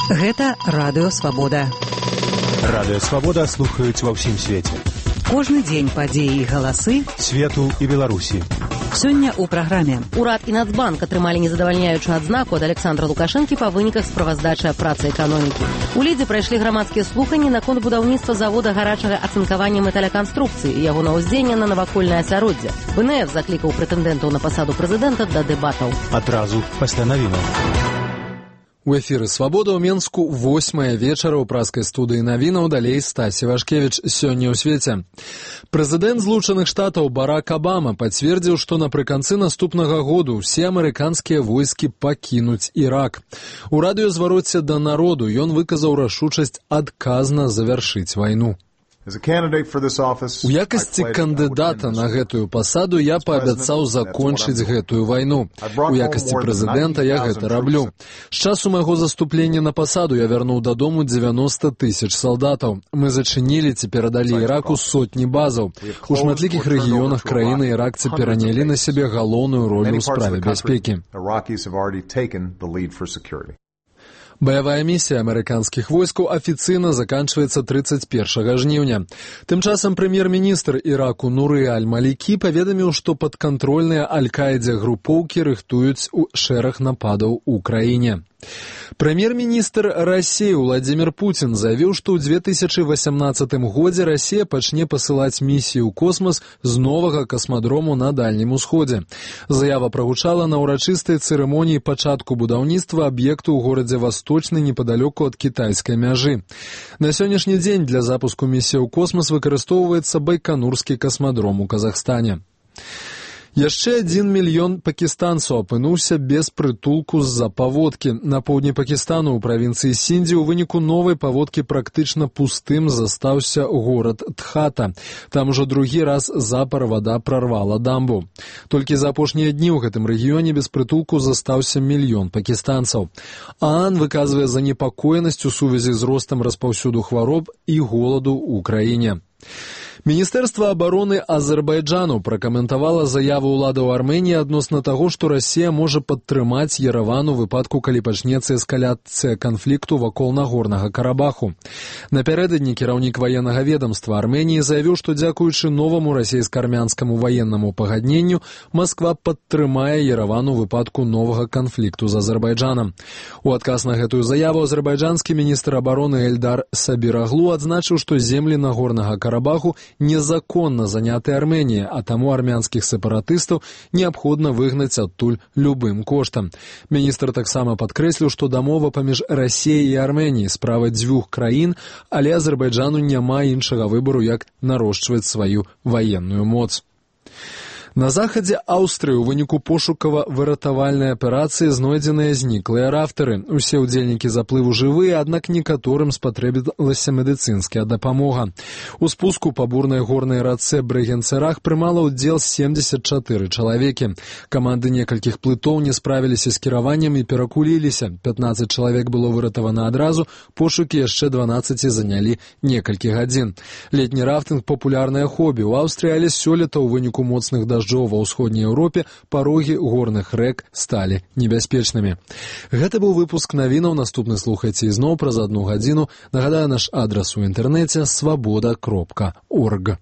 Гэта Радыё Свабода. Радыё Свабода слухаюць ва ўсім свеце. Кожны дзень падзеі і галасы свету і Беларусі. Сёння ў праграме. Урад і Нацбанк атрымалі незадавальняючую адзнаку ад Александра Лукашэнкі па выніках справаздачы працы эканомікі. У Лідзе прайшлі грамадскія слуханні наконт будаўніцтва завода гарачага ацынкавання металяканструкцыі і яго наўздзеяння на навакольнае асяроддзе. БНФ заклікаў прэтэндэнтаў на пасаду прэзідэнта да дэбатаў. Адразу пасля навінаў. У эфіры «Свабода» ў Менску 8 вечара ў праскай студыі навінаў, далей Стасі Вашкевіч. Сёння ў свеце. Прэзідэнт Злучаных Штатаў Барак Абама пацвердзіў, што напрыканцы наступнага году ўсе амерыканскія войскі пакінуць Ірак. У радыёзвароце да народу ён выказаў рашучасць адказна завяршыць вайну. У якасці кандыдата на гэтую пасаду я паабяцаў закончыць гэтую вайну. У якасці прэзідэнта я гэта раблю. З часу майго заступлення на пасаду я вярнуў дадому 90 000 салдатаў. Мы зачынілі ці перадалі Іраку сотні базаў. У шматлікіх рэгіёнах краіны іракцы перанялі на сябе галоўную ролю ў справе бяспекі. Баявая місія амерыканскіх войскаў афіцыйна заканчваецца 31 жніўня. Тым часам прэм'ер-міністр Іраку Нуры Аль-Малікі паведаміў, што падкантрольныя Аль-Каідзе групоўкі рыхтуюць шэраг нападаў у краіне. Прэм'ер-міністр Расіі Владзімір Пуцін заявіў, што ў 2018 годзе Расія пачне пасылаць місіі ў космас з новага касмадрому на Дальнім Усходзе. Заява прагучала на ўрачыстай цырымоніі пачатку будаўніцтва аб'екту ў горадзе Васточны непадалёку ад кітайскай мяжы. На сённяшні дзень для запуску місіі ў космас выкарыстоўваецца Байканурскі касмадром у Казахстане. Яшчэ 1 мільён пакістанцаў апынуўся без прытулку з-за паводкі. На поўдні Пакістану ў правінцыі Сіндзі ў выніку новай паводкі практычна пустым застаўся горад Тхата. Там ужо другі раз запар вада прарвала дамбу. Толькі за апошнія дні ў гэтым рэгіёне без прытулку застаўся 1 мільён пакістанцаў. ААН выказвае занепакоенасць у сувязі з ростам распаўсюду хвароб і голаду ў краіне. Міністэрства абароны Азербайджану пракаментавала заяву ўладаў Арменіі адносна таго, што Расія можа падтрымаць Ерэван у выпадку, калі пачнецца эскаляцыя канфлікту вакол Нагорнага Карабаху. Напярэдадні кіраўнік ваеннага ведамства Арменіі заявіў, што дзякуючы новаму расійска-армянскаму ваеннаму пагадненню Масква падтрымае Ерэван у выпадку новага канфлікту з Азербайджанам. У адказ на гэтую заяву азербайджанскі міністр абароны Эльдар Сабіраглу адзначыў, што землі Нагорнага Карабаху незаконна заняты Арменіяй, а таму армянскіх сепаратыстаў неабходна выгнаць адтуль любым коштам. Міністр таксама падкрэсліў, што дамова паміж Расіяй і Арменіяй справа дзвюх краін, але Азербайджану няма іншага выбару, як нарошчваць сваю ваенную моц. На захадзе Аўстрыі ў выніку пошукава-выратавальнай аперацыі знойдзеныя зніклыя рафтары. Усе ўдзельнікі заплыву жывыя, аднак некаторым спатрэбілася медыцынская дапамога. У спуску па бурнай горнай рацэ Брэгенцерах прымала ўдзел 74 чалавекі. Каманды некалькіх плытоў не справіліся з кіраваннем і перакуліліся. 15 чалавек было выратавана адразу, пошукі яшчэ 12 занялі некалькі гадзін. Летні рафтынг – папулярнае хобі ў Аўстрыі, але сёлета ў выніку моцных дажджоў ва ўсходняй Еўропе парогі горных рэк сталі небяспечнымі. Гэта быў выпуск навінаў. Наступны слухайце ізноў праз 1 гадзіну. Нагадаю, наш адрас у інтэрнэце свабода.орг.